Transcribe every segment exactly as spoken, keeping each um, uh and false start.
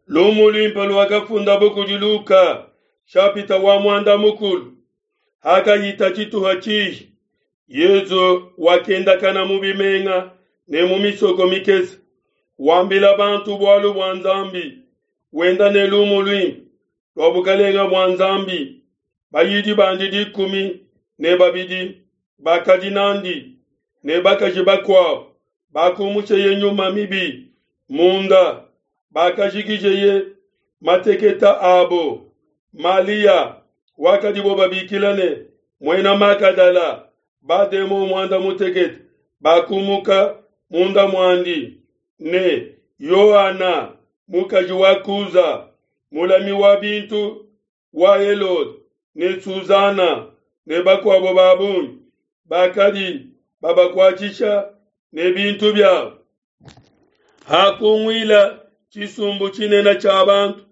Lumu luimpe luakafundabo kudi Luka, shapita wa muanda mukulu. Hakahita tshituha tshihi, Yesu wakendakana mu bimenga ne mu misoko mikese, wambila bantu bualu bua Nzambi, wenda ne lumu luimpe lua bukelenge bua Nzambi. Bayidi bandi dikumi ne babidi bakadi nandi, ne bakaji bakuabo bakumusheye nyuma mibi munda, bakajikijeye mateketa abo. Malia wakadibo babikila ne Muena Magadala, bademon muanda mutekete bakumuka munda muandi, ne Yoana mukaji wa Kuza, mulami wa bintu wa Helode, ne Suzana ne bakuabo ba bungi bakadi babakuatshisha ne bintu biabo. Hakunguila tshisumbu tshinene tshia bantu,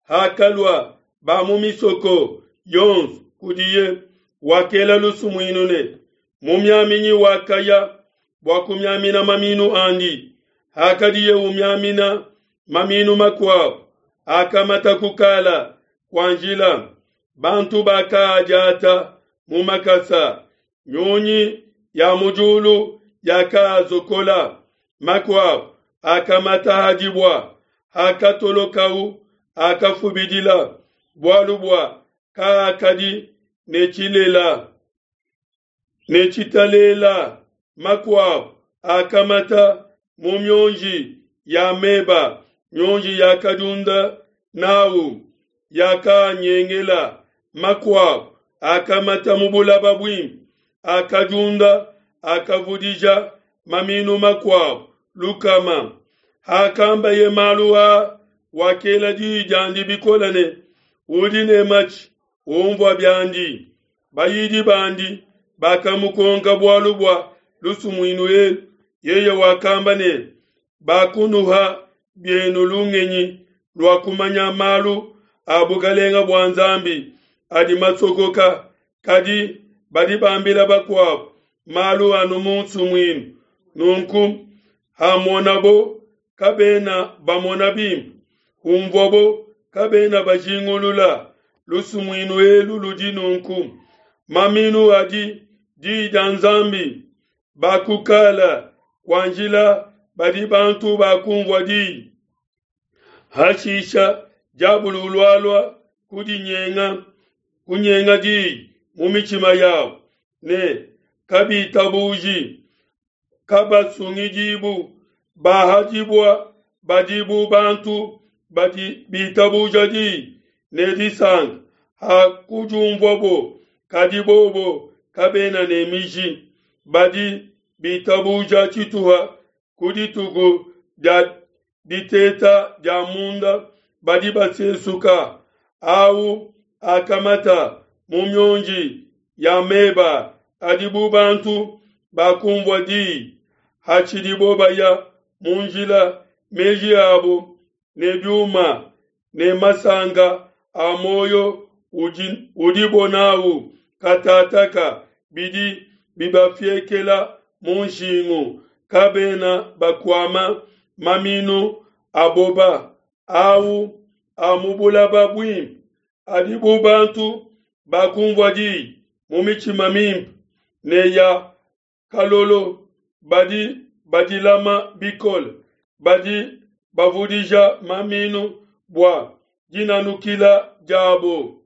hakalua ba mu misoko yonso kudiye, wakela lusumuinu ne, mumiaminyi wakaya bua kumiamina maminu andi. Hakadiye umiamina, maminu makuabo akamata kukala kua njila, bantu bakaadiata mu makasa, nyunyi ya mu diulu yakaazokola. Makuabo akamata ha dibua, hakatolokau akafubidila, bualu bua kaakadi ne tshilela ne tshitalela. Makuabo akamata mu mionji ya meba, mionji yakadiunda nau yakanyengela. Makuabo akamata mu bulaba buimpe, akadiunda akavudija maminu makuabo lukama. Hakambaye malu aa, wakela diyi diandi bikole ne, udi ne matshi umvua biandi. Bayidi bandi bakamukonka bualu bua lusumuinu elu. Yeye wakamba ne, bakunuha bienu lungenyi lua kumanya malu a bukelenge bua Nzambi adi masokoka, kadi badi bambila bakuabo malu anu mu nsumuinu. Nunku hamonabo kabena bamona bimpe, humvuabo kabena bajingulula. Lusumuinu elu ludi nunku: maminu adi diyi dia Nzambi. Bakukala kua njila badi bantu bakumvua diyi. Hashisha diabulu ulualua kudinyenga kunyenga diyi mu mitshima yabo, ne kabitabuji, kabasungidibu. Bahadibua badi bu bantu badi bitabuja diyi ne disanka ha kudiumvuabo, kadi bobo kabena ne miji. Badi bitabuja tshituha ku dituku dia diteta dia munda, badi basesuka. Au akamata mu mionji ya meba adi bu bantu bakumvua diyi, hatshidibo baya mu njila, meji abo ne biuma ne masanka a muoyo udi udibo nawu katataka bidi bibafiekela mu nshingu, kabena bakuama maminu aboba. Au a mu bulaba buimpe adi bu bantu bakumvua diyi mu mitshima mimpe ne ya kalolo, badi badilama bikole, badi bavudija maminu bua dinanukila diabo.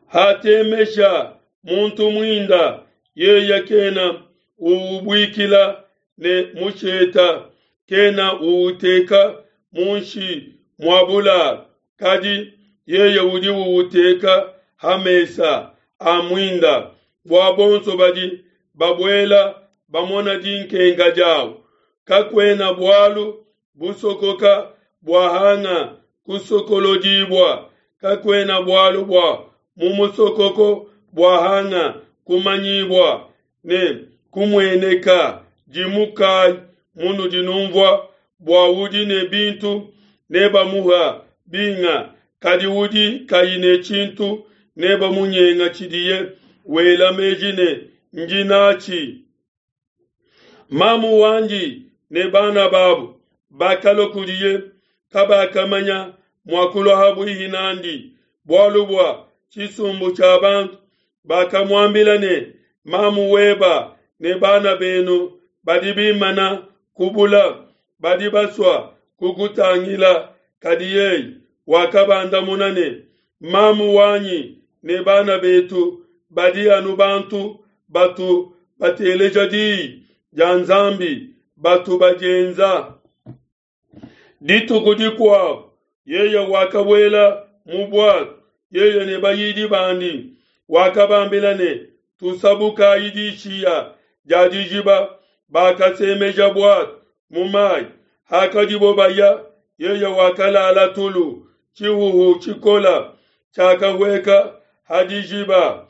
Hatemesha muntu muinda, yeye kena uubuikila ne musheta, kena uuteka munshi mua bulalu, kadi yeye udi uuteka ha mesa a muinda, bua bonso badi babuela bamona dinkenka diawu. Kakuena bualu busokoka bua hanga kusokolodibua, kakuena bualu bua mu musokoko bua hanga kumanyibua ne kumueneka. Dimukai munudi numvua, bua udi ne bintu nebamuha binga, kadi udi kayi ne tshintu nebamunyenga tshidiye wela meji ne ndi natshi. Mamu wandi ne bana babo bakalua kudiye, Kabakamanya mua kulua habuihi n'andi bualu bua tshisumbu tshia bantu. Bakamuambila ne, Mamu weba ne bana benu badi bimana ku bula, badi basua kukutangila. Kadi yeye wakabandamuna ne, Mamu wanyi ne bana betu badi anu bantu batu bateleja diyi dia Nzambi, batu badienza. Dituku dikuabu yeye wakabuela mu buatu, yeye ne bayidi bandi, wakabambila ne, Tusabukayi dishiya dia dijiba. Bakasemeja buatu mu mayi. Hakadibo baya, yeye wakalala tulu. Tshihuhu tshikola tshiakahueka ha dijiba,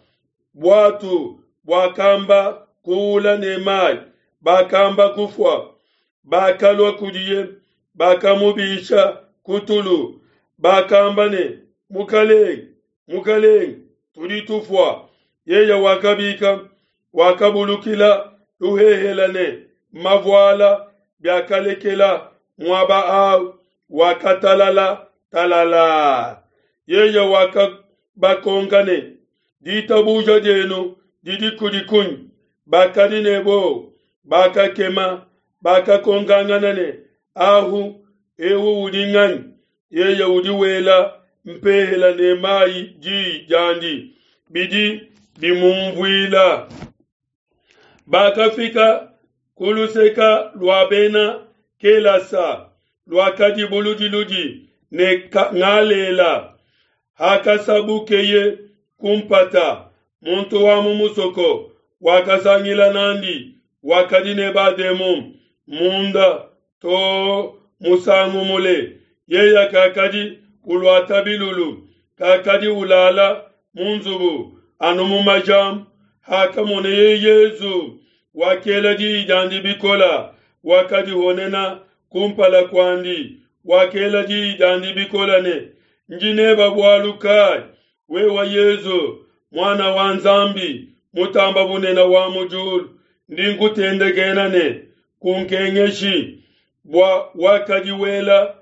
buatu buakamba kuula ne mayi, bakamba kufua. Bakalua kudiye, bakamubisha ku tulu, bakamba ne, Mukalenge, Mukalenge, tudi tufua. Yeye wakabika, wakabulukila luhehela ne mavuala, biakalekela muaba au, wakatalala talala. Yeye wakabakonka ne, Ditabuja dienu didi kudi kunyi? Bakadi ne buowa, bakakema, bakakonkangana ne, Ahu eu udi nganyi? Yeye udi wela mpehela ne mayi diyi diandi, bidi bimumvuila. Bakafika ku luseka lua bena Kelasa, luakadi buludiludi ne Ngalela. Hakasabukeye ku mpata, muntu wa mu musoko wakasangila n'andi, wakadi ne bademon munda to musangu mule. Yeye kakadi uluata bilulu, kakadi ulala mu nzubu, anu mu majambu. Hakamoneye Yesu, wakela diyi diandi bikola, wakadihonena kumpala kuandi, wakela diyi diandi bikola ne, Ndi neba bualu kai, wewe Yesu, Muana wa Nzambi mutamba bunene wa mu diulu? Ndi nkutendekena ne, kunkengeshi. Bua wakadi wela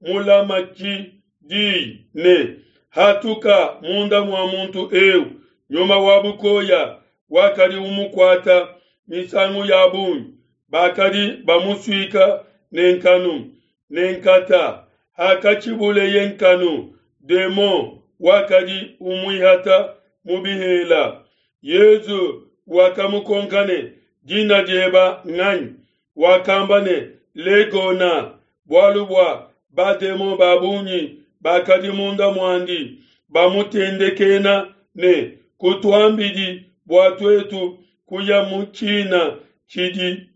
mulamatshi diyi ne, Hatuka munda mua muntu eu. Nyuma wa bukoya wakadi umukuata misangu ya bungi, bakadi bamusuika ne nkanu ne nkata. Hakatshibuleye nkanu, demon wakadi umuihata mu bihela. Yesu wakamukonka ne, Dina dieba nganyi? Wakamba ne, Legona, bualu bua bademon ba bungi bakadi munda muandi, bamutendekena ne, Kutuambidi bua tuetu kuya mu tshina tshidi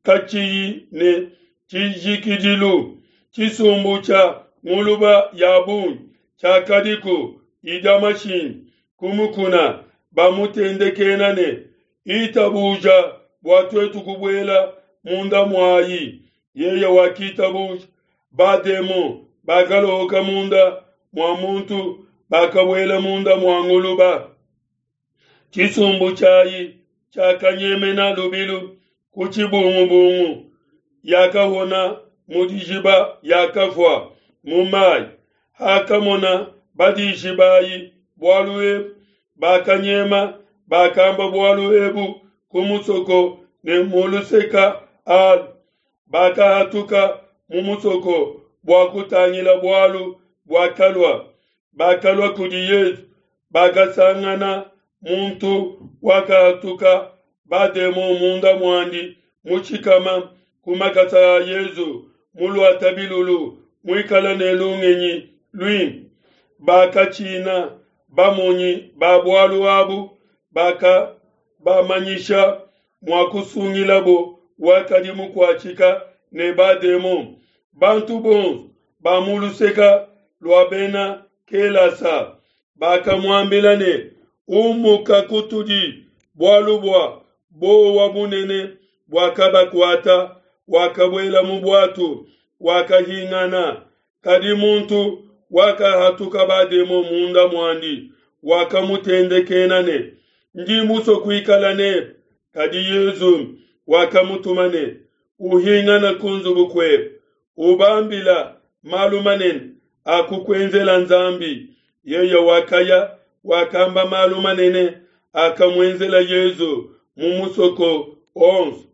katshiyi ne tshijikidilu. Tshisumbu tshia nguluba ya bungi tshiakadiku idia mashinde ku mukuna, bamutendekena ne, Itabuja bua tuetu kubuela munda muayi. Yeye wakitabuja. Bademon bakalohoka munda mua muntu, bakabuela munda mua nguluba. Tshisumbu tshiayi tshiakanyemena lubilu ku tshibungubungu, yakahona mu dijiba, yakafua mu mayi. Hakamona badishi bayi bualu ebu, bakanyema, bakamba bualu ebu ku musoko ne mu luseka alu. Bakahatuka mu musoko bua kutangila bualu buakalua. Bakalua kudi Yesu, bakasangana muntu wakahatuka bademon munda muandi, mushikama ku makasa a Yesu, muluata bilulu, muikala ne lungenyi luimpe. Bakatshina. Bamonyi ba bualu abu bakabamanyisha mua kusungilabo wakadi mukuatshika ne bademon. Bantu bonso ba mu luseka lua bena Kelasa bakamuambila ne, Umuka kutudi, bualu bua buowa bunene buakabakuata. Wakabuela mu buatu, wakahingana. Kadi muntu wakahatuka bademon munda muandi, wakamutendekena ne, Ndi musue kuikala nebe. Kadi Yesu wakamutuma ne, Uhingana ku nzubu kuebe, ubambila malu manene akukuenzela Nzambi. Yeye wakaya, wakamba malu manene akamuenzela Yesu mu musoko onso.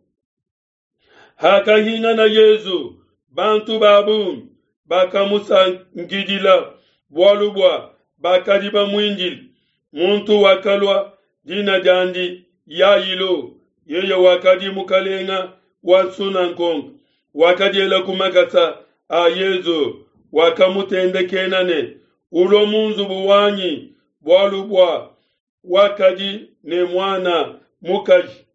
Hakahingana Yesu, bantu ba bungi bakamusankidila, bualu bua bakadi bamuindile. Muntu wakalua, dina diandi Yailo, yeye wakadi mukalenga wa nsunangonga, wakadiela ku makasa a Yesu, wakamutendekena ne, Ulue mu nzubu wanyi, bualu bua wakadi ne muana mukaji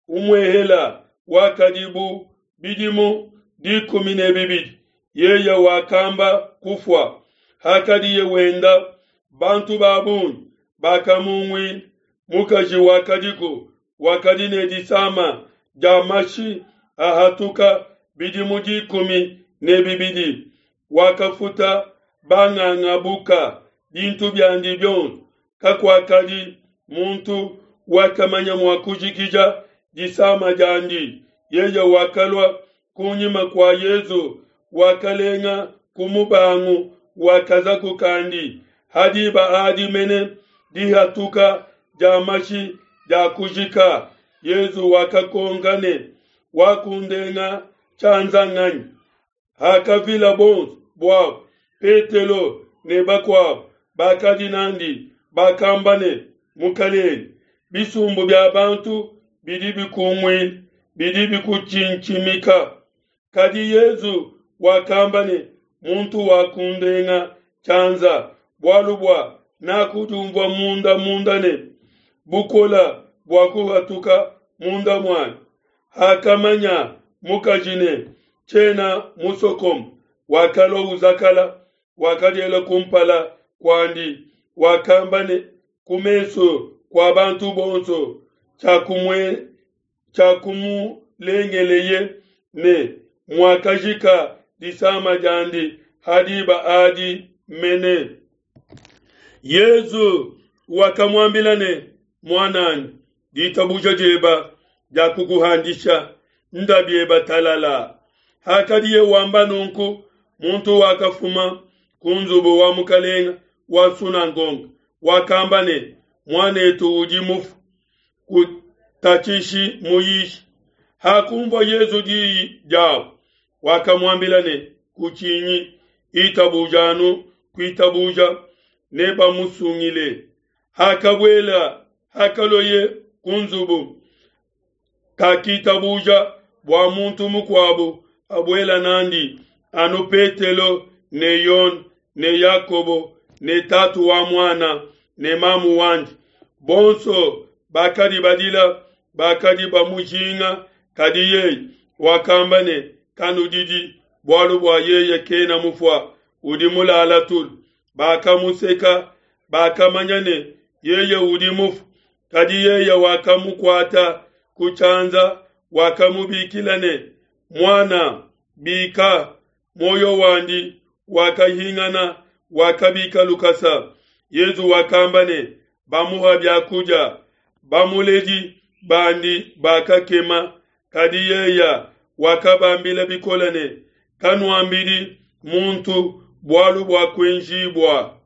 umuehela wakadi bu bidimu dikumi ne bibidi, yeye wakamba kufua. Hakadiye wenda, bantu ba bungi bakamunguila. Mukaji wakadiku wakadi ne disama dia mashi ahatuka bidimu dikumi ne bibidi, wakafuta banganga buka bintu biandi bionso, kakuakadi muntu wakamanya mua kujikija disama diandi. Yeye wakalua kunyima kua Yesu, wakalenga ku mubangu wa kazaku kandi. Ha diba adi mene dihatuka dia mashi diakujika. Yesu wakakonka ne, Wakundenga tshianza nganyi? Hakavila bonso buabo, Petelo ne bakuabo bakadi nandi bakamba ne, Mukelenge, bisumbu bia bantu bidi bikunguile, bidi bikutshintshimika. Kadi Yesu wakamba ne, Muntu wakundenga tshianza, bualu bua nakudiumvua munda munda ne bukola buakuhatuka munda muanyi. Hakamanya mukaji ne, Tshiena musokome, wakalua uzakala, wakadiela kumpala kuandi, wakamba ne ku mesu kua bantu bonso tshiakumulengeleye ne muakajika disama diandi ha diba adi mene. Yesu wakamuambila ne, Muananyi, ditabuja dieba diakukuhandisha, nda bieba talala. Hakadiye wamba nunku, muntu wakafuma ku nzubu wa mukalenga wa nsunangonga, wakamba ne, Muanetu udi mufu, kutatshishi muyishi. Hakunvua Yesu diyi diabo, wakamuambila ne, Kutshinyi, itabuja anu kuitabuja, nebamusungile. Hakabuela, hakalueye ku nzubu, kakitabuja bua muntu mukuabo abuela nandi, anu Petelo ne Yone ne Yakobo ne tatu wa muana ne mamu wandi. Bonso bakadi badila, bakadi bamujinga, kadi yeye wakamba ne, Kanudidi, bualu bua yeye kena mufua, udi mulala tulu. Bakamuseka, bakamanya ne, yeye udi mufue. Kadi yeye wakamukuata ku tshianza, wakamubikila ne, Muana, bika. Muoyo wandi wakahingana, wakabika lukasa. Yesu wakamba ne, Bamuha biakudia. Bamuledi bandi bakakema, kadi yeye wakabambila bikole ne, Kanuambidi muntu bualu buakuenjibua.